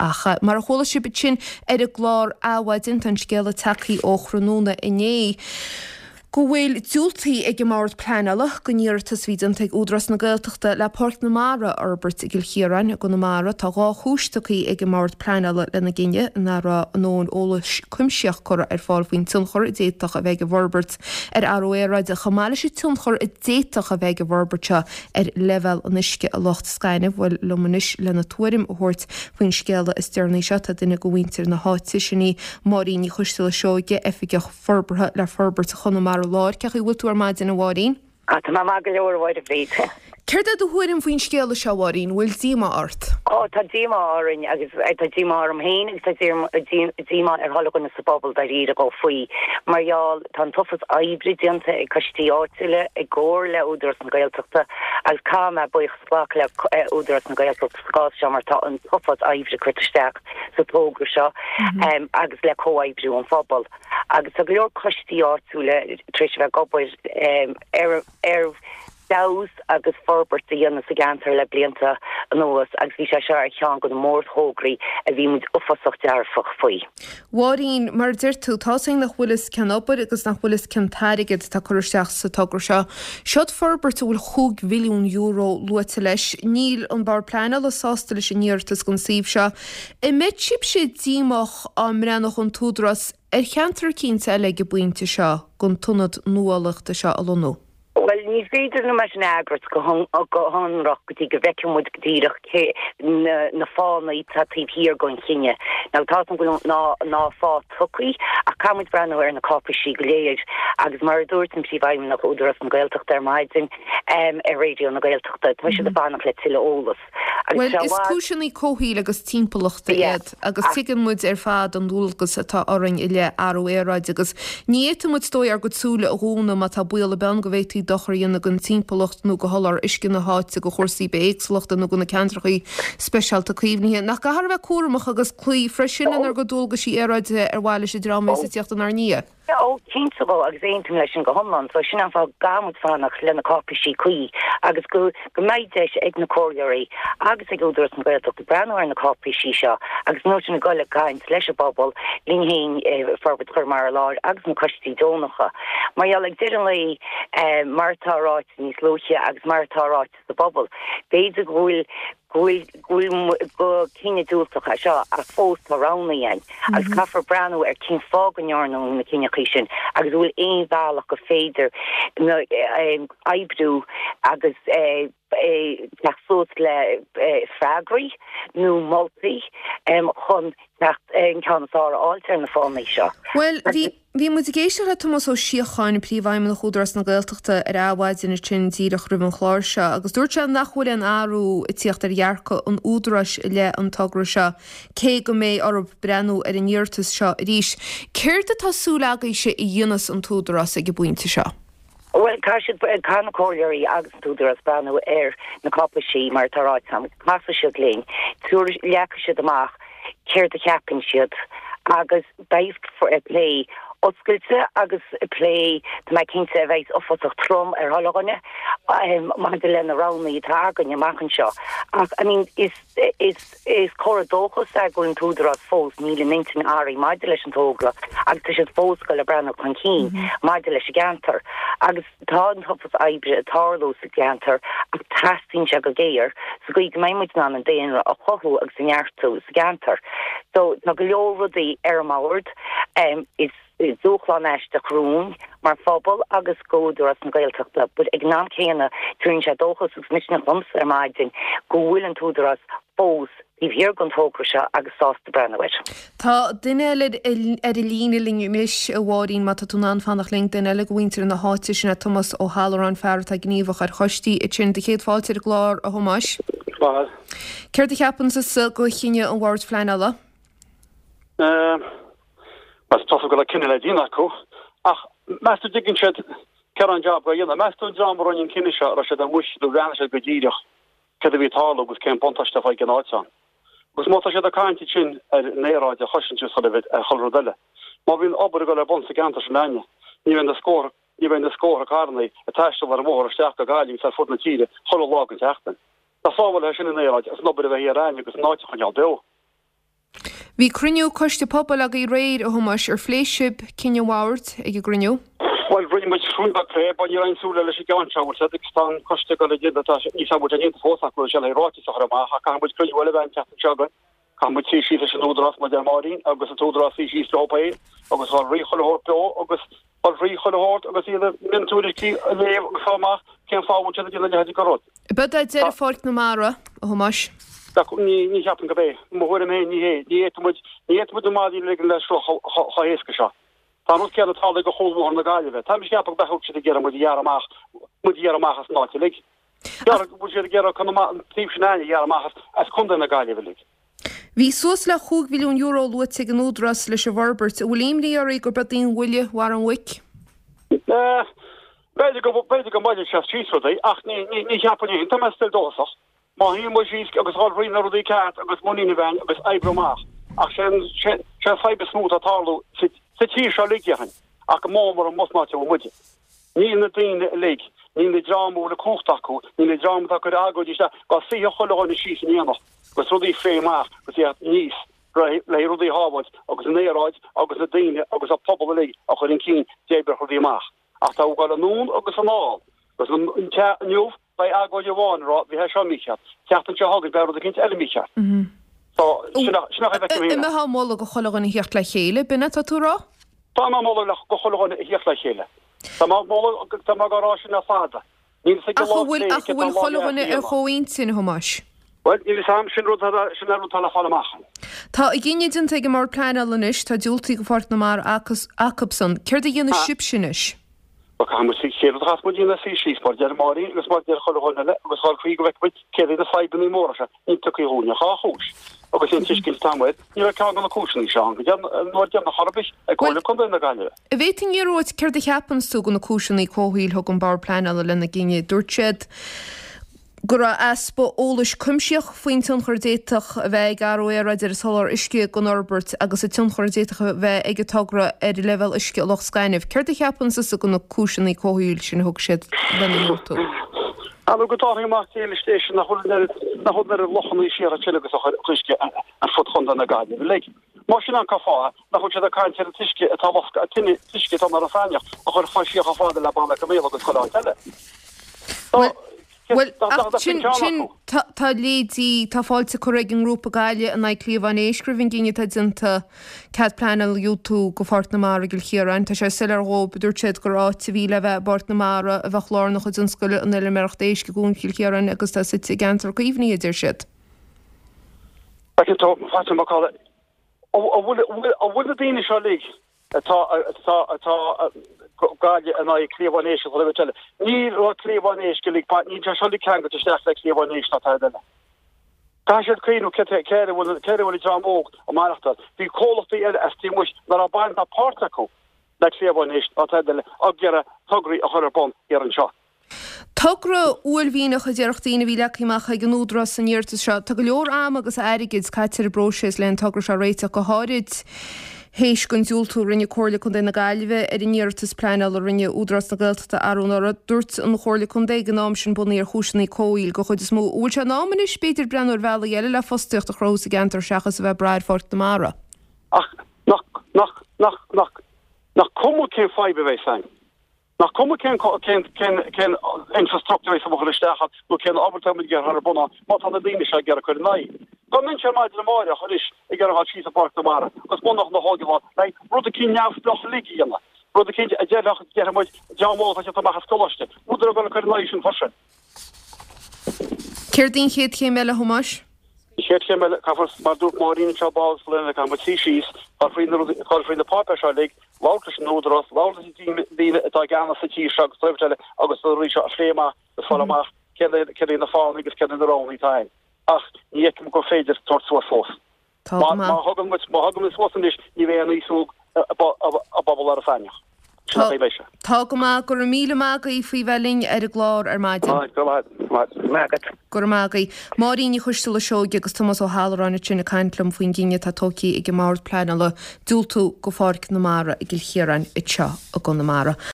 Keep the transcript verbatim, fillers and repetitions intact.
Ach mar a chuala sibh ansin ar an gclár Adhmhaidin, tá an scéala tagtha ó thráthnóna inné go bhfuil diúltaithe ag an mBord Pleanála don iarratas a bhí déanta ag Údarás na Gaeltachta le Páirc na Mara a fhorbairt i gCill Chiaráin i gConamara. Tá dhá chúis tugtha ag an mBord Pleanála lena gcinneadh, nach raibh a ndóthain eolais cuimsitheach curtha ar fáil faoin tionchar a d'fhéadfadh a bheith ag an bhforbairt ar athrú aeráide, chomh maith leis an tionchar a d'fhéadfadh a bheith ag an bhforbairt seo ar leibhéal an uisce i Loch Gainimh. Bhuel liom anois lena tuairim a thabhairt faoin scéala is deireanaí seo tá duine de mhuintir na háite, sin í Máirín Ní Choisteala Seoige, Oifigeach Forbartha le Forbairt Chonamara Láir. Cén chaoi a bhfuil tú ar maidin, a Mháirín? Tá mé maith go leor, a Mháire Bhríd. Céard é do thuairim faoin scéala seo, a Mháirín? Bhfuil díomá ort? Ó tá díomá orainn agus tá díomá orm féin agus tá díomá ar chuile dhuine sa bpobal dáiríre dhó faoi. Mar gheall tá an t-uafás oibre déanta ag coistí áitiúla i gcomhar le Údarás na Gaeltachta agus caithfidh mé buíochas a ghlacadh le Údarás na Gaeltachta sa gcás seo mar tá an t-uafás oibre curtha isteach sa togra seo agus le comhoibriú an phobail. Agus tá go leor coistí áitiúla tar éis a bheith ag obair ar ar fheabhas agus forbairt a dhéanamh sa gceantar le blianta anuas agus bhí sé seo ar cheann de na mórthograí a bhí muid uafásach dearfach faoi. Mháirín, mar a deir tú, tá 's againn nach bhfuil fhios cén obair agus nach bhfuil fhios cén t-airgead atá curtha isteach sa togra seo. Seod forbairt a bhfuil chúig mhilliún euro luaite leis. Níl an Bord Pleanála sásta leis an iarratas don suíomh seo. An mbeidh sibhse díomách dá mbreathnódh an tÚdarás ar cheantar eicínt eile ag an bpointe seo don t-ionad nuálaíochta seo a lonnú? Bhuel, ní féidir liom é sin a fhreagairt go hionraic go dtí go bhfeicfidh muid go díreach cé na fáthanna atá taobh thiar den chinneadh. Now tá go bhfuil na na fáthanna tugtha ach caithfidh muid breathnú ar na cáipéisí go léir agus mar a dúirt an Príomhfheidhmeannach Údarás na Gaeltachta ar maidin ar Raidió na Gaeltachta, tá siad ag fanacht le tuilleadh eolas. Bhuel, is cúiseanna comhshaoil agus timpeallachta iad agus tuigeann muid ar fad an dualgas atá orainn i leith athrú aeráide agus ní fhéadfaidh muid is dóigh ár gcuid súile a dhúnadh má tá baol ar bith ann go bhféadfaí dochar a dhéanamh don timpeallacht nó do sholáthar uisce na háite, do chúrsaí bithéagsúlachta nó do na ceantracha speisialta caomhnaithe. Nach gcaithfear a bheith cúramach agus cloí freisin lenár gcuid dualgaisí aeráide ar mhaithe leis an dream a bheas ag tíocht inár ndiaidh? Ó, cinnte dhó, agus aontaím leis sin go hiomlán. So sin an fáth go gcaithfidh muid fanacht le na cáipéisí cuí agus go go mbeidh deis ag na comhairleoirí agus ag Údarás na Gaeltachta breathnú ar na cáipéisí seo agus nó sin ag dul ag caint leis an bpobal, linn féin, Forbairt Chonamara Láir agus na coistí deonacha. Mar gheall ag deireadh an lae, mar atá ráite níos luaithe agus mar atá ráite sa bpobal, b'fhéidir go bhfuil go bhfuil go bhfuil go cinneadh diúltach é seo ach fós tá roghanna ann agus caithfear breathnú ar cén fáth go ndearnadh na cinneadh sin agus bhfuil aon bhealach go féidir na oibriú agus teacht suas le freagraí nó moltaí chun teacht an ceann is fearr a fháilt ar na fáthanna seo. Bhuel, bhí bhí muid ag éisteacht le Tomás Ó Síocháin, Príomhfheidhmeannach Údarás na Gaeltachta ar Adhmhaidin ansin díreach roimh an chlár seo agus dúirt sé nach bhfuil aon athrú ag tíocht ar dhearcadh an Údaráis i leith an togra seo, cé go mbeidh orthu breathnú ar an iarratas seo arís. Céard atá súil agaibhse a dhéanfas an tÚdarás ag an bpointe seo? Bhuel, caithfidh siad, caithfidh na comhairleoirí agus an tÚdarás breathnú ar na cáipéisí mar atá ráite agam, casfaidh siad linn, leagfaidh siad amach céard a cheapann siad agus beidh plé oscailte agus plé tá mé cinnte a bheidh uafásach trom ar chuile dhuine maidir le na roghanna atá againn amach anseo. Ach I mean is is is comhartha dóchais é go bhfuil an tÚdarás fós níl a n-intinn athraithe maidir leis an togra agus tá siad fós ag dul ag breathnú chun cinn maidir leis an gceantar. Agus tá an t-uafás oibre ag tarlú sa gceantar ach teastaíonn sé go géar sa gcaoi go mbeidh muid in ann an daonra a chothú agus a neartú sa gceantar. So tá go leor rudaí ar an mbord. Is dúshlán aisteach romhainn mar phobal agus go Údarás na Gaeltachta, but ag an am céanna tugann sé dóchas agus misneach domsa ar maidin go bhfuil an tÚdarás fós taobh thiar den togra seo agus sásta breathnú air. Tá duine eile ar an líne linn anois, a Mháirín, má tá tú in ann fanacht linn, duine eile de mhuintir na háite, sin é Tomás Ó hAlluráin, fear atá gníomhach ar choistí ansin. Do chéad fáilte ar an gclár, a Thomáis. Maith. Céard a cheapann tusa de chinneadh an Bhoird Phleanála? Bhuel, tá go raibh cinneadh le déanamh acu, ach meas tú an dtuigeann siad cé raibh an jab á dhéanamh? Meas tú an dream a rinne an cinneadh seo, raibh siad amuigh nó bhreathnaigh siad go díreach céard a bhí ag tarlú agus cén buntáiste a bheadh ag an áit ann? Agus má tá siad ag caint ansin ar an aeráid a chosaint is chuile chuile rud eile, má bhíonn obair ag dul ar bun sa gceantar sin againne, ní bheidh na scórtha ní bheidh na scórtha carrannaí ag taisteal ar an bhóthar isteach go Gaillimh agus ar fud na tíre chuile lá den tseachtain. Nach sábhálfaidh sin an aeráid agus an obair a bheith thiar againne agus an áit a choinneáil beo. Bhí cruinniú Coiste Pobail agaibh aréir, a Thomáis, ar phléigh sibh cinneadh an Bhoird ag an gcruinniú? Bhuel, rinne muid rún beag plé, but ní raibh aon súil leis an gceann seo, bhfuil agus tá an coiste go le déanamh, tá níos bhfuil sé déanta fós acu sé le ráiteas a chur amach, ach caithfidh muid cruinniú eile a bheith an tseachtain seo againn. Caithfidh muid suí síos leis an Údarás, mar a deir Máirín, agus an tÚdarás suí síos leo féin, agus dhul thrí chuile shórt leo, agus dhul thrí chuile shórt agus iad a miontuairiscí a léamh agus fáil amach cén fáth a bhfuil siad ag déanamh a leithéid de rud. Ab é deireadh Pháirc na Mara, a Thomáis? Ní ní cheapaim gurb é. Mo thuairim féin ní hé. Ní fhéadfaidh muid ní fhéadfaidh muid na maidí a ligean leis seo chomh héasca seo. Tá an rud céanna ag tarlú do chúl Bhóthar na Gaillimhe. Tá mise ag ceapadh go mbeadh siad ag iarraidh muid a ghearradh amach muid a ghearradh amach as an áit uilig. Gearradh bhfuil siad ag iarraidh Conamara an taobh sin againne a ghearradh amach as as Contae na Gaillimhe uilig. Bhí suas le chúig mhilliún euro luaite ag an Údarás leis an bhforbairt. An bhfuil imní oraibh gurb í an bhuille bharr an mhuic? B'fhéidir go b'fhéidir go mbuailfidh sé síos rudaí ach ní ní ní cheapaim é. Tá mé still dóchasach. Má shuíonn muid síos agus dhul thrí na rudaí ceart agus muinín a bheith againn agus oibriú amach. Ach sé an sé sé an fadhb is mó atá ag tarlú sa sa tír seo uilig déarfainn ach go mór mór amuigh san áit a bhfuil muide. Níl na daoine uilig, níl na dream a bhfuil an cumhacht acu, níl na dream atá ag cur agóidí isteach, dá suífeadh chuile dhuine síos in éineacht agus rudaí a phlé amach agus iad níos le rudaí a shábháilt agus an aeráid agus na daoine agus an pobal uilig a chur chun cinn d'oibreodh rudaí amach. Ach tá ag dul anonn agus anall agus an te inniu beidh agóid amháin ag rá bhí sé seo mícheart, tseachtain seo chugainn beidh rud eicínt eile mícheart. So sin a sin a bheith An mbeifeá ag moladh do chuile dhuine a theacht le chéile, b'in atá tú a rá? Tá mé ag moladh le go chuile dhuine a theacht le chéile. Tá mé ag moladh tá mé ag rá sin le fada. Níl fhios ag Ach an bhfuil ach an bhfuil chuile dhuine ar chomhintinn, a Thomáis? Bhuel, níl fhios a'm, sin rud atá sin rud atá le fáil amach. Tá a gcinneadh déanta ag an mBord Pleanála anois, tá diúltaithe do Pháirc na Mara acubsan. Céard a dhéanfaidh sibhse anois? Bhuel, caithfidh muid, chéad rud a chaithfeas muid a dhéanamh suí síos, mar a deir Máirín agus mar a deir chuile dhuine eile, agus dhul thrí go bhfeicfidh muid céard iad na fadhbanna móra seo. Níl tugtha dhúinn ach dhá chúis. Agus an tuiscint atá agam air, ní raibh ceann de na cúiseanna seo ann go dtí an uair deireanach chor ar bith ag Comhairle Contae na Gaillimhe. An bhféadfainn iarraidh ort céard a cheapanns tú de na cúiseanna comhshaoil a thug an Bord Pleanála lena gcinneadh? Dúirt siad go raibh easpa eolais cuimsitheach faoin tionchar a d'fhéadfadh a bheith ag athrú aeráide ar an soláthar uisce don fhorbairt agus an tionchar a d'fhéadfadh a bheith ag an togra ar an leibhéal uisce i Loch Gainimh. Céard a cheapann tusa de na cúiseanna comhshaoil sin a thug siad lena ndiúltú? Ar ndóigh go dtarlaíonn amach céile is nach bhfuil an oiread nach bhfuil an oiread lochanna siar ansin agus a chuir uisce ar fud Chontae na Gaillimhe uilig. Más sin an cá fáth nach bhfuil siad ag caint ar an t-uisce atá loscadh an tine t-uisce atá mar an Faineach a chur fá siar chomh fada le Baile Átha agus chuile áit eile. Bhuel, bhuel, ach sin, sin, tá, tá léidí, tá fáilte curtha ag an ngrúpa Gaillimh in aghaidh Cliabhán Éisc roimh an gcinneadh atá déanta cead pleanála a dhiúltú do Pháirc na Mara i gCill Chiaráin. Tá sé soiléir dhóibh, a dúirt siad, gur áit a bhí le bheith i bPáirc na Mara a bheadh lárnach i dtionscal an fheilméarachta éisc i gCuan Chill Chiaráin agus tá suite i gceantar caomhnaithe, a deir siad. Feicfidh tú, Fatima McCullough, an bhfuil, an bhfuil na daoine seo uilig atá, atá, atá Gaillimh in aghaidh cliabhán éisc agus chuile eile. Ní raibh cliabhán éisc uilig, níl sé seo uilig ceangailte isteach le cliabhán éisc ná tada eile. Caithfidh siad cuimhniú cé cé a bhfuil cé a bhfuil an dream óg ag maireachtáil. Bhí comhlachtaí eile as taobh amuigh nach raibh baint ná páirt acu le cliabhán éisc ná tada eile ag iarraidh tograí a chur ar bun thiar anseo. Togra uaillmhianach a déarfadh daoine a bhí leagtha amach ag an Údarás san iarratas seo. Tá go leor ama agus airgid caite ar an bpróiseas le an togra seo a réiteach, go háirid théis don diúltú a rinne Comhairle Contae na Gaillimhe ar an iarratas pleanála a rinne Údarás na Gaeltachta arú anuraidh. Dúirt an Chomhairle Contae ag an am sin bunaithe ar chúiseanna comhshaoil den chuid is mó. An bhfuil sé in am anois b'fhéidir breathnú ar bhealaí eile le fostaíocht a chruthú sa gceantar seachas a bheith ag brath ar Pháirc na Mara? Ach nach, nach, nach, nach, nach cuma cén fadhb a bheas ann? Nach cuma cén cén cén cén infrastructure a bheas isteach ann nó cén obair atá muid ag iarraidh ar bun ann má tá na daoine seo ag iarraidh cur in aghaidh. Dá mbeinnse ar maidin amáireach anois ag iarraidh dhul síos i bPáirc na Mara agus bunadh na hóige lá le rud eicínt neamhspleách uilig a dhéanamh, rud eicínt a déarfadh déarfaidh muid dream óg atá teacht amach as coláiste, údar ag dul ag cur in aghaidh sin freisin. Céard í an chéad chéim eile, a Thomáis? An chéad chéim eile, caithfear, mar a dúirt Máirín anseo, ball eile, caithfidh muid suí síos, dul fríd na rudaí, dul fríd na páipéir seo uilig, labhairt leis an Údarás, labhairt leis na daoine atá i gceannas sa tír seo agus taobh eile agus na rudaí seo a phlé amach agus fáil amach céard céard iad na fáthanna agus céard iad na roghanna atá ann. Ach ní fheicim gur féidir tabhairt suas fós. Tá go Má maith. thugann muid, má thugann muid suas anois, ní bheidh aon aos óg i bpobal Iorras Aithneach. Sin Tá a bheidh sé. Tá go maith. Go raibh míle maith agaibh faoi bheith linn ar an gclár ar maidin. Go raibh maith agat. Maith agat. Go raibh maith agaibh. Máirín Ní Choisteala Seoige agus Tomás Ó hAlluráin ansin ag caint liom faoin gcinneadh atá tógtha ag an mBord Pleanála diúltú do Pháirc na Mara i gCill Chiaráin anseo i gConamara.